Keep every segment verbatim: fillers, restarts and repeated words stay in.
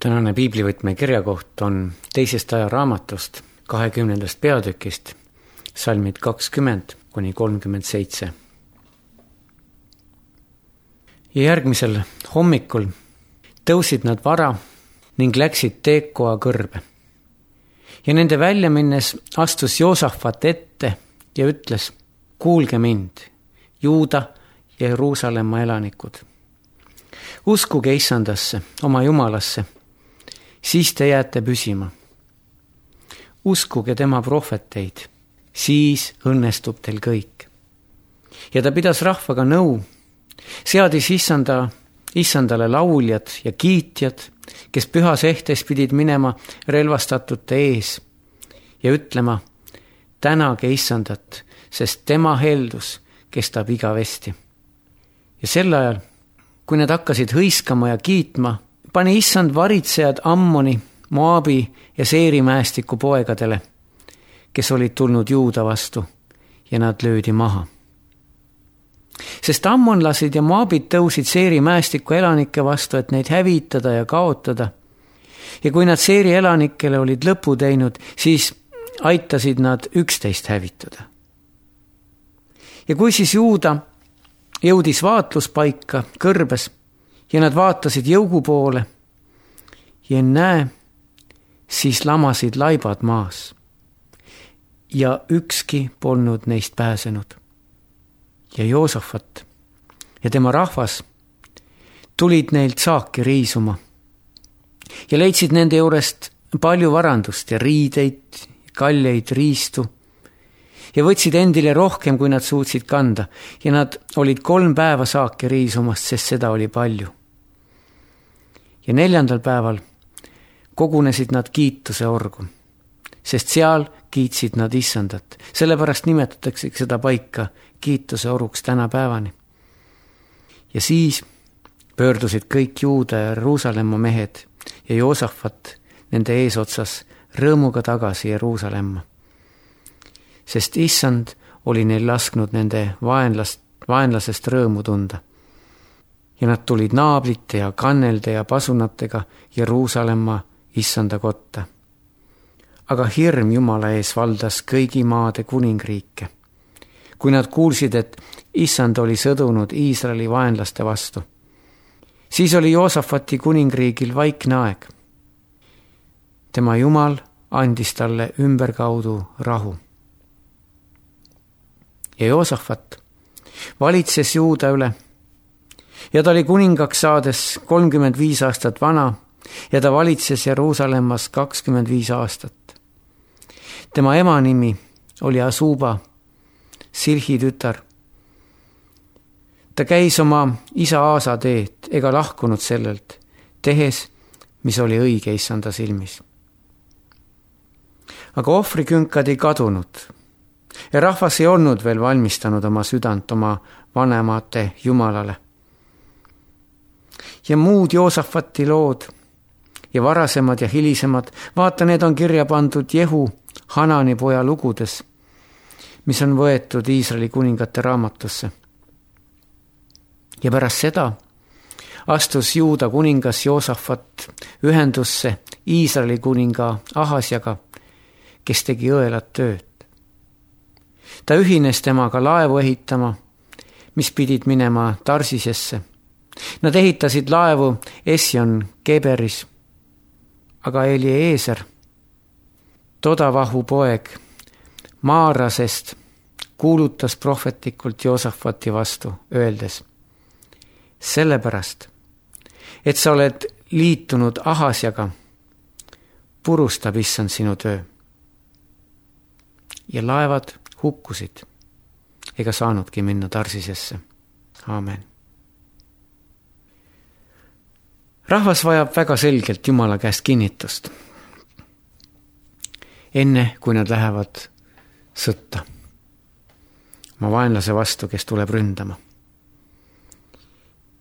Tänane piiblivõtme kirjakoht on teisest ajaraamatust, kahekümnendast peatükist, salmid kakskümmend kuni kolmkümmend seitse. Ja järgmisel hommikul tõusid nad vara ning läksid Teekoa kõrbe. Ja nende välja minnes astus Joosafat ette ja ütles: kuulge mind, Juuda ja Jeruusalemma elanikud. Uskuge Issandasse, oma Jumalasse, siis te jääte püsima. Uskuge tema prohveteid, siis õnnestub teil kõik. Ja ta pidas rahvaga nõu, seadis Issanda, Issandale lauljad ja kiitjad, kes pühas ehtes pidid minema relvastatute ees ja ütlema: tänage Issandat, sest tema heldus kestab igavesti. Ja sel ajal, kui nad hakkasid hõiskama ja kiitma, pani Issand varitsejad Ammoni, Moabi ja Seiri mäestiku poegadele, kes olid tulnud Juuda vastu, ja nad löödi maha. Sest ammonlasid ja Moabid tõusid Seiri mäestiku elanike vastu, et neid hävitada ja kaotada. Ja kui nad Seiri elanikele olid lõpu teinud, siis aitasid nad üksteist hävitada. Ja kui siis Juuda jõudis vaatluspaika kõrbes ja nad vaatasid jõugu poole ja näe, siis lamasid laibad maas ja ükski polnud neist pääsenud. Ja Joosafat ja tema rahvas tulid neilt saaki riisuma ja leidsid nende juurest palju varandust ja riideid, kalleid, riistu ja võtsid endile rohkem, kui nad suutsid kanda, ja nad olid kolm päeva saaki riisumast, sest seda oli palju. Ja neljandal päeval kogunesid nad kiituse orgu, sest seal kiitsid nad Issandat. Sellepärast nimetatakse seda paika kiituse oruks tänapäevani. Ja siis pöördusid kõik Juuda ja Jeruusalemma mehed ja Joosafat nende eesotsas rõõmuga tagasi Jeruusalemma. Sest Issand oli neil lasknud nende vaenlast, vaenlasest rõõmu tunda. Ja nad tulid naablite ja kannelde ja pasunatega Jeruusalemma Issanda kotta. Aga hirm Jumala ees valdas kõigi maade kuningriike, kui nad kuulsid, et Issand oli sõdunud Iisraeli vaenlaste vastu. Siis oli Joosafati kuningriigil vaikne aeg. Tema Jumal andis talle ümberkaudu rahu. Ja Joosafat valitses Juuda üle ja ta oli kuningaks saades kolmkümmend viis aastat vana ja ta valitses Jeruusalemmas kakskümmend viis aastat. Tema ema nimi oli Asuba, Silhi tütar. Ta käis oma isa Aasa teed ega lahkunud sellelt, tehes, mis oli õige Issanda silmis. Aga ohvrikünkad ei kadunud ja rahvas ei olnud veel valmistanud oma südant oma vanemate Jumalale. Ja muud Joosafati lood ja varasemad ja hilisemad, vaata, need on kirja pandud Jehu, Hanani poja lugudes, mis on võetud Iisraeli kuningate raamatusse. Ja pärast seda astus Juuda kuningas Joosafat ühendusse Iisraeli kuninga Ahasjaga, kes tegi õelat tööd. Ta ühines temaga laevu ehitama, mis pidid minema Tarsisesse. Nad ehitasid laevu Esjon Geberis, aga Eliezer, Todavahu poeg, Maarasest kuulutas prohvetlikult Joosafati vastu, öeldes: sellepärast, et sa oled liitunud Ahasjaga, purustab Issand sinu töö. Ja laevad hukkusid ega saanudki minna Tarsisesse. Aamen. Rahvas vajab väga selgelt Jumala käest kinnitust, enne kui nad lähevad sõtta oma vaenlase vastu, kes tuleb ründama.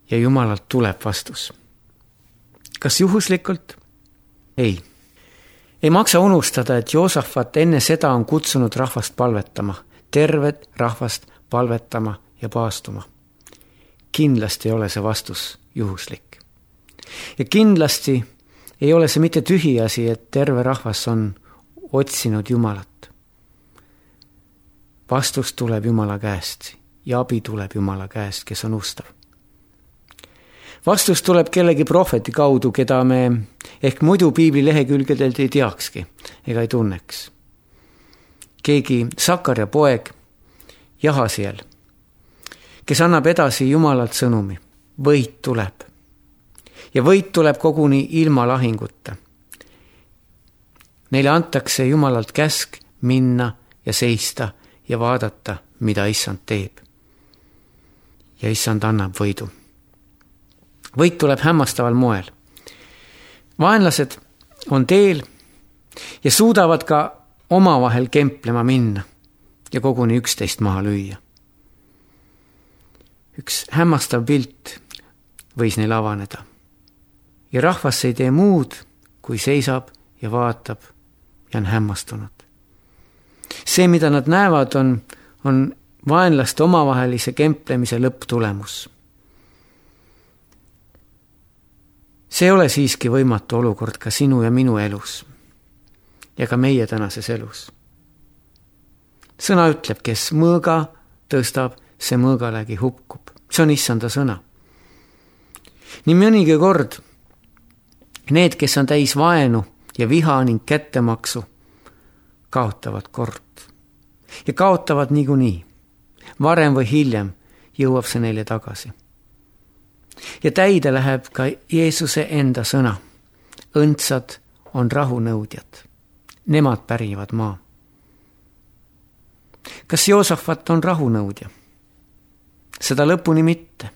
Ja Jumalalt tuleb vastus. Kas juhuslikult? Ei. Ei maksa unustada, et Joosafat enne seda on kutsunud rahvast palvetama, tervet rahvast palvetama ja paastuma. Kindlasti ei ole see vastus juhuslik. Ja kindlasti ei ole see mitte tühiasi, et terve rahvas on otsinud Jumalat. Vastus tuleb Jumala käest ja abi tuleb Jumala käest, kes on ustav. Vastus tuleb kellegi prohveti kaudu, keda me ehk muidu piibli lehekülgedelt ei teakski ega ei tunneks. Keegi Sakarja poeg Jahasiel, kes annab edasi Jumalalt sõnumi. Võit tuleb. Ja võit tuleb koguni ilma lahinguta. Neile antakse Jumalalt käsk minna ja seista ja vaadata, mida Issand teeb. Ja Issand annab võidu. Võit tuleb hämmastaval moel. Vaenlased on teel ja suudavad ka omavahel kemplema minna ja koguni üksteist maha lüüa. Üks hämmastav pilt võis neil avaneda. Ja rahvas ei tee muud, kui seisab ja vaatab ja on hämmastunud. See, mida nad näevad, on, on vaenlaste omavahelise kemplemise lõpptulemus. See ei ole siiski võimatu olukord ka sinu ja minu elus ja ka meie tänases elus. Sõna ütleb, kes mõõga tõstab, see mõõgalegi hukkub. See on Issanda sõna. Nii mõnigi kord need, kes on täis vaenu ja viha ning kättemaksu, kaotavad kord. Ja kaotavad niikuinii. Varem või hiljem jõuab see neile tagasi. Ja täide läheb ka Jeesuse enda sõna. Õndsad on rahunõudjad. Nemad pärivad maa. Kas Joosafat on rahunõudja? Seda lõpuni mitte.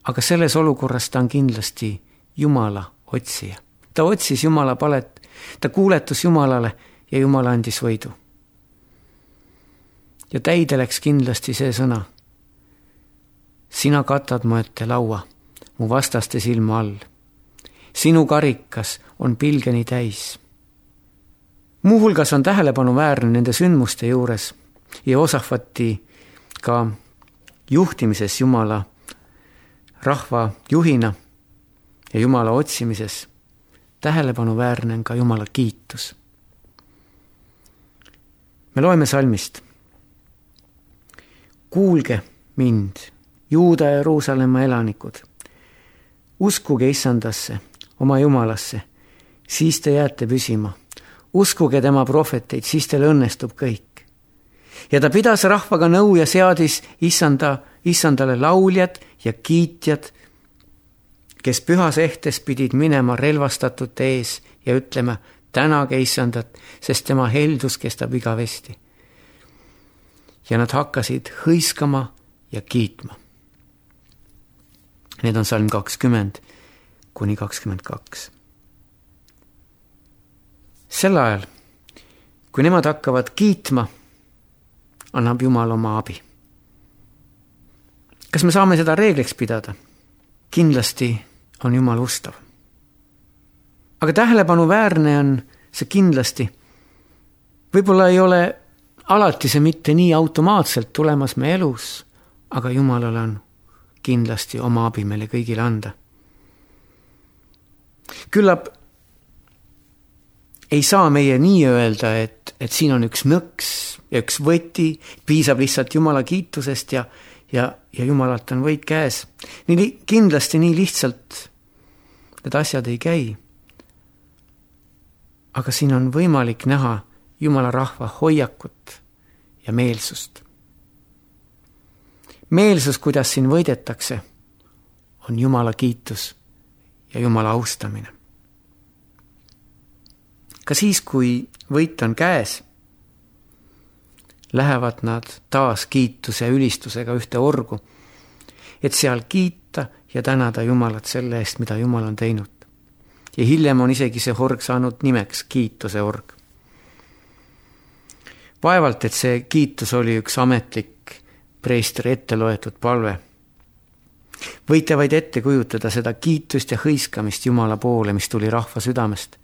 Aga selles olukorras ta on kindlasti Jumala otsija. Ta otsis Jumala palet, ta kuuletus Jumalale ja Jumal andis võidu. Ja täide läks kindlasti see sõna. Sina katad mu ette laua, mu vastaste silma all. Sinu karikas on pilgeni täis. Muuhulgas on tähelepanu väärne nende sündmuste juures ja Joosafati ka juhtimises Jumala rahva juhina ja Jumala otsimises. Tähelepanu väärne on ka Jumala kiitus. Me loeme salmist. Kuulge mind, Juuda ja Jeruusalemma elanikud. Uskuge Issandasse, oma Jumalasse, siis te jääte püsima. Uskuge tema prohveteid, siis teil õnnestub kõik. Ja ta pidas rahvaga nõu ja seadis Issanda, Issandale lauljad ja kiitjad, kes pühas ehtes pidid minema relvastatute ees ja ütlema, tänage Issandat, sest tema heldus kestab igavesti. Ja nad hakkasid hõiskama ja kiitma. Need on salm kakskümmend kuni kakskümmend kaks. Sel ajal, kui nemad hakkavad kiitma, annab Jumal oma abi. Kas me saame seda reegliks pidada? Kindlasti on Jumal ustav. Aga tähelepanu väärne on see kindlasti. Võib-olla ei ole alati see mitte nii automaatselt tulemas me elus, aga Jumalal on kindlasti oma abi meile kõigile anda. Küllap ei saa meie nii öelda, et, et siin on üks nõks ja üks võti, piisab lihtsalt Jumala kiitusest ja, ja, ja Jumalalt on võit käes. Nii, kindlasti nii lihtsalt need asjad ei käi. Aga siin on võimalik näha Jumala rahva hoiakut ja meelsust. Meelsus, kuidas siin võidetakse, on Jumala kiitus ja Jumala austamine. Ka siis, kui võit on käes, lähevad nad taas kiituse ja ülistusega ühte orgu, et seal kiita ja tänada Jumalat selle eest, mida Jumal on teinud. Ja hiljem on isegi see org saanud nimeks kiituse org. Vaevalt, et see kiitus oli üks ametlik preestri ette loetud palve. Võite vaid ette kujutada seda kiitust ja hõiskamist Jumala poole, mis tuli rahva südamest,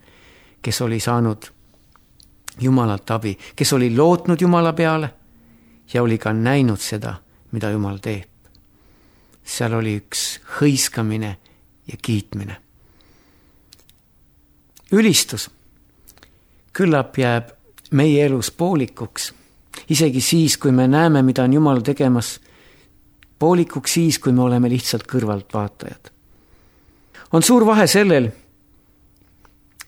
kes oli saanud Jumalalt abi, kes oli lootnud Jumala peale ja oli ka näinud seda, mida Jumal teeb. Seal oli üks hõiskamine ja kiitmine. ülistus küllap jääb meie elus poolikuks, isegi siis, kui me näeme, mida on Jumal tegemas, poolikuks siis, kui me oleme lihtsalt kõrvaltvaatajad. On suur vahe sellel,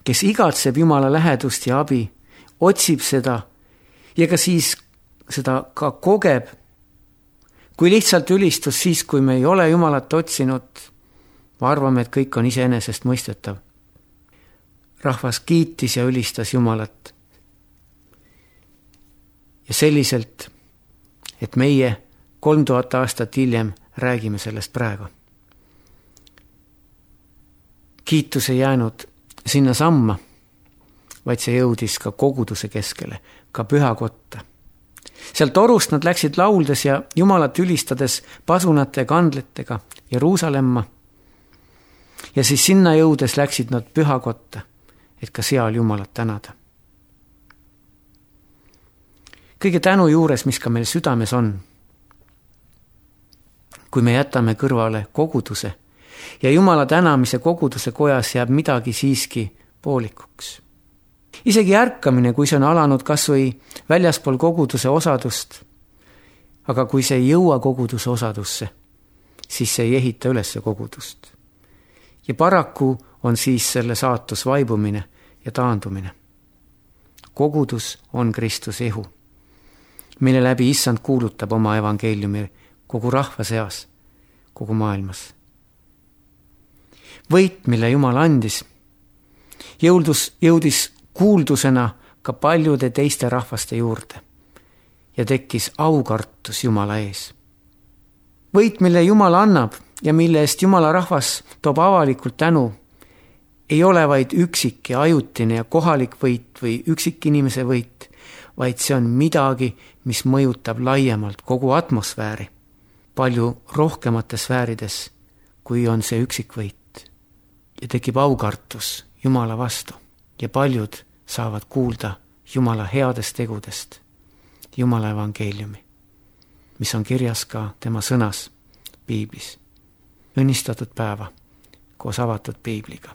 kes igatseb Jumala lähedust ja abi, otsib seda ja ka siis seda ka kogeb, kui lihtsalt ülistus siis, kui me ei ole Jumalat otsinud, ma arvame, et kõik on iseenesest mõistetav. Rahvas kiitis ja ülistas Jumalat. Ja selliselt, et meie kolm tuhat aastat hiljem räägime sellest praegu. Kiitus ei jäänud sinna samma, vaid see jõudis ka koguduse keskele, ka pühakotta. Sealt torust nad läksid lauldes ja Jumalat ülistades pasunate ja kandletega Jeruusalemma. Ja siis sinna jõudes läksid nad pühakotta, et ka seal Jumalat tänada. Kõige tänu juures, mis ka meil südames on, kui me jätame kõrvale koguduse ja Jumala tänamise koguduse kojas jääb midagi siiski poolikuks. Isegi ärkamine, kui see on alanud kas või väljaspool koguduse osadust, aga kui see ei jõua koguduse osadusse, siis see ei ehita üles kogudust. Ja paraku on siis selle saatus vaibumine ja taandumine. Kogudus on Kristuse ihu, mille läbi Issand kuulutab oma evangeeliumi kogu rahva seas, kogu maailmas. Võit, mille Jumal andis, jõudus, jõudis kuuldusena ka paljude teiste rahvaste juurde ja tekkis aukartus Jumala ees. Võit, mille Jumal annab ja mille eest Jumala rahvas toob avalikult tänu, ei ole vaid üksik ja ajutine ja kohalik võit või üksik inimese võit, vaid see on midagi, mis mõjutab laiemalt kogu atmosfääri, palju rohkemates sfäärides, kui on see üksik võit. Ja tekib aukartus Jumala vastu ja paljud saavad kuulda Jumala headest tegudest, Jumala evangeeliumi, mis on kirjas ka tema sõnas piiblis. Õnnistatud päeva koos avatud piibliga.